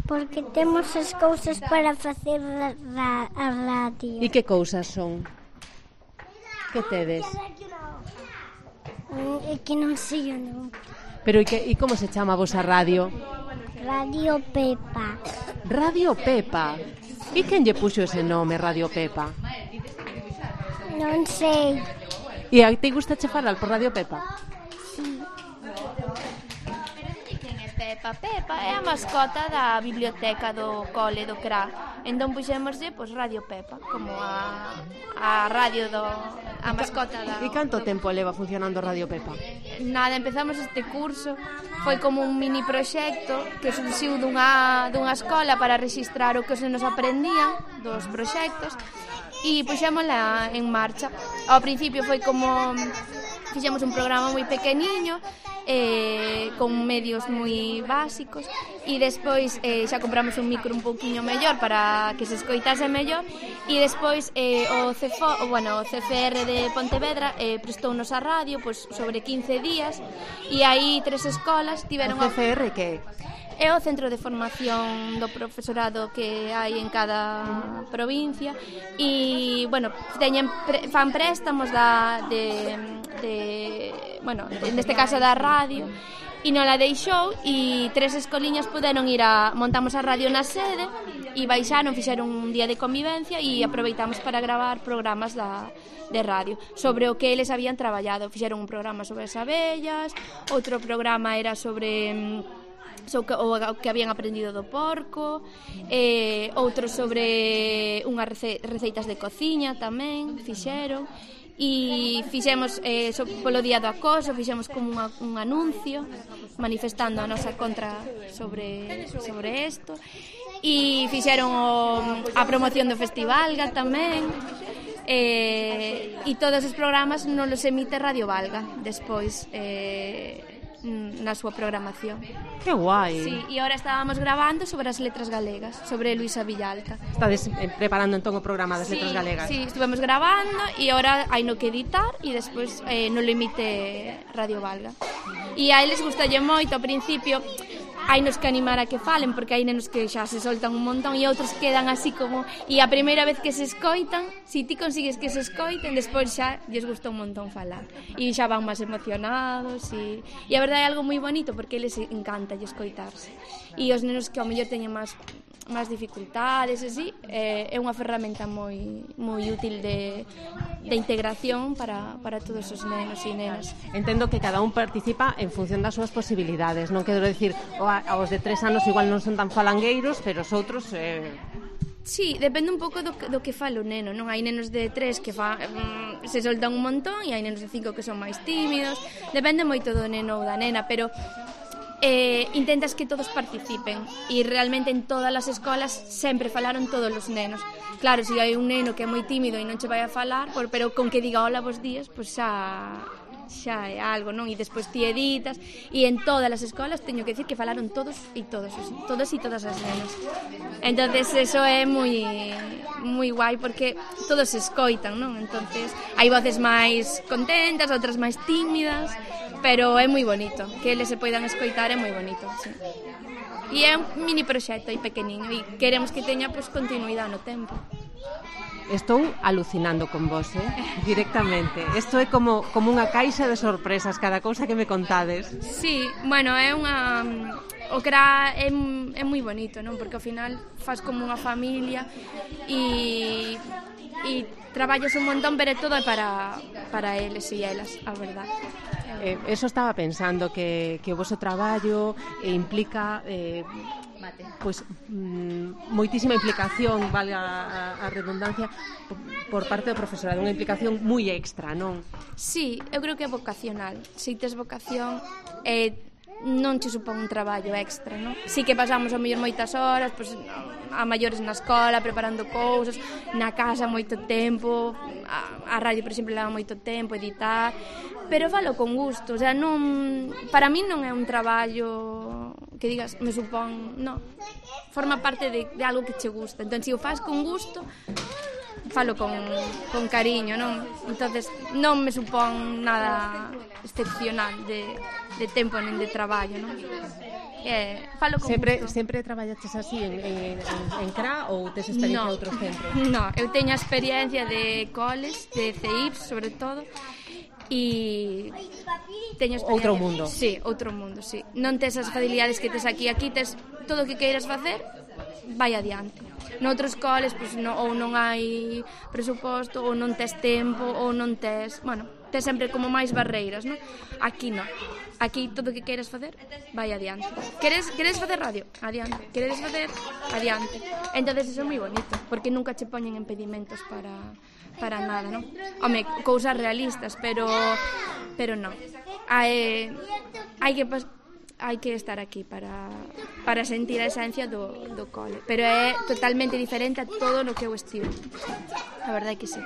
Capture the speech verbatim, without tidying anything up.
Porque temos as cousas para facer ra- a radio. E que cousas son? Que tedes? É que non sei o nome. Pero e, que, e como se chama a vosa radio? Radio Pepa. Radio Pepa. E quen lle puxo ese nome, Radio Pepa? Non sei. E a ti gusta che falar por Radio Pepa? Sí. Pepa, Pepa é a mascota da biblioteca do cole do C R A. Entón puxémoslle pois Radio Pepa, como a, a radio do a mascota da. E canto tempo leva funcionando Radio Pepa? Nada, empezamos este curso, foi como un mini proxecto que surxiu dunha dunha escola para rexistrar o que os nenos aprendían dos proxectos e puxémola en marcha. Ao principio foi como fixemos un programa moi pequeniño, eh, con medios moi básicos e despois eh, xa compramos un micro un pouquiño mellor para que se escoitase mellor e despois eh, o, C F O, bueno, o C F R de Pontevedra eh, prestounos a radio pois, sobre quince días e aí tres escolas tiveron... O C F R que é o centro de formación do profesorado que hai en cada provincia e, bueno, teñen, fan préstamos da, de, de, bueno, neste caso da radio e non la deixou e tres escoliñas puderon ir a... montamos a radio na sede e baixaron, fixeron un día de convivencia e aproveitamos para gravar programas da, de radio sobre o que eles habían traballado. Fixeron un programa sobre as abellas, outro programa era sobre... o que habían aprendido do porco, eh, outros sobre unhas rece receitas de cociña tamén fixeron e fixemos eh, so, polo día do acoso fixemos como unha, un anuncio manifestando a nosa contra sobre sobre isto e fixeron o, a promoción do Festival Valga tamén eh, e todos os programas non los emite Radio Valga despois eh, na súa programación. Que guai. Sí, e agora estábamos grabando sobre as letras galegas, sobre Luisa Villalta. Estades preparando entón o programa das sí, letras galegas? Sí, estivemos grabando e agora hai no que editar e despois eh, non lo emite Radio Valga. E a eles gustalle moito, ao principio hai nos que animar a que falen porque hai nenos que xa se soltan un montón e outros quedan así como e a primeira vez que se escoitan si ti consigues que se escoiten despois xa lles gusta un montón falar e xa van máis emocionados e, e a verdade é algo moi bonito porque eles encanta lle escoitarse e os nenos que ao mellor teñen máis máis dificultades así, eh, é unha ferramenta moi moi útil de, de integración para, para todos os nenos e nenas. Entendo que cada un participa en función das súas posibilidades, non quero decir aos de tres anos igual non son tan falangueiros, pero os outros... Eh... Sí, depende un pouco do, do que fala o neno, non? Hai nenos de tres que fa, mm, se soltan un montón e hai nenos de cinco que son máis tímidos, depende moito do neno ou da nena, pero eh, intentas que todos participen e realmente en todas as escolas sempre falaron todos os nenos. Claro, se hai un neno que é moi tímido e non che vai a falar, por, pero con que diga hola bos días, pois xa... xa é algo, non? E despois ti editas e en todas as escolas teño que decir que falaron todos e todos, todos e todas as nenas. Entonces eso é moi moi guai porque todos se escoitan, non? Entonces hai voces máis contentas, outras máis tímidas, pero é moi bonito que eles se poidan escoitar, é moi bonito, sí. E é un mini proxecto aí pequeniño e queremos que teña pois continuidade no tempo. Estou alucinando con vos, eh? Directamente. Isto é como, como unha caixa de sorpresas, cada cousa que me contades. Sí, bueno, é unha... O C R A é, é moi bonito, non? Porque ao final faz como unha familia e, e traballas un montón, pero todo é para, para eles e elas, a verdade. Eh, eso estaba pensando, que, que o vosso traballo eh, implica... Eh, pois mm, moitísima implicación, vale a, a redundancia, por, por parte do profesorado, unha implicación moi extra, non? Sí, eu creo que é vocacional. Se tes vocación, eh, non che supón un traballo extra, non? Si que pasamos a mellor moitas horas, pois, a maiores na escola, preparando cousas, na casa moito tempo, a, a radio, por exemplo, leva moito tempo, editar, pero falo con gusto, o sea, non, para mí non é un traballo que digas, me supón, non, forma parte de, de algo que che gusta, entón, se o faz con gusto, falo con, con cariño, non? Entonces, non me supón nada excepcional de, de tempo nen de traballo, non? eh, falo con sempre, gusto. sempre traballaches así en, en, en C R A ou tes experiencia No. en outros centros? No, eu teño a experiencia de coles, de C I Ps, sobre todo, e teño experiencia. Outro mundo. Sí, outro mundo, sí. Non tes as facilidades que tes aquí. Aquí tes todo o que queiras facer, vai adiante. Noutros coles, pois, no, ou non hai presuposto, ou non tes tempo, ou non tes... Bueno, tes sempre como máis barreiras, non? Aquí non. Aquí todo o que queiras facer, vai adiante. Queres, queres facer radio? Adiante. Queres facer? Adiante. Entonces iso é moi bonito, porque nunca che poñen impedimentos para, para nada, non? Home, cousas realistas, pero pero non. Hai, hai que pas, hai que estar aquí para, para sentir a esencia do, do cole. Pero é totalmente diferente a todo no que eu estivo. A verdade é que sí.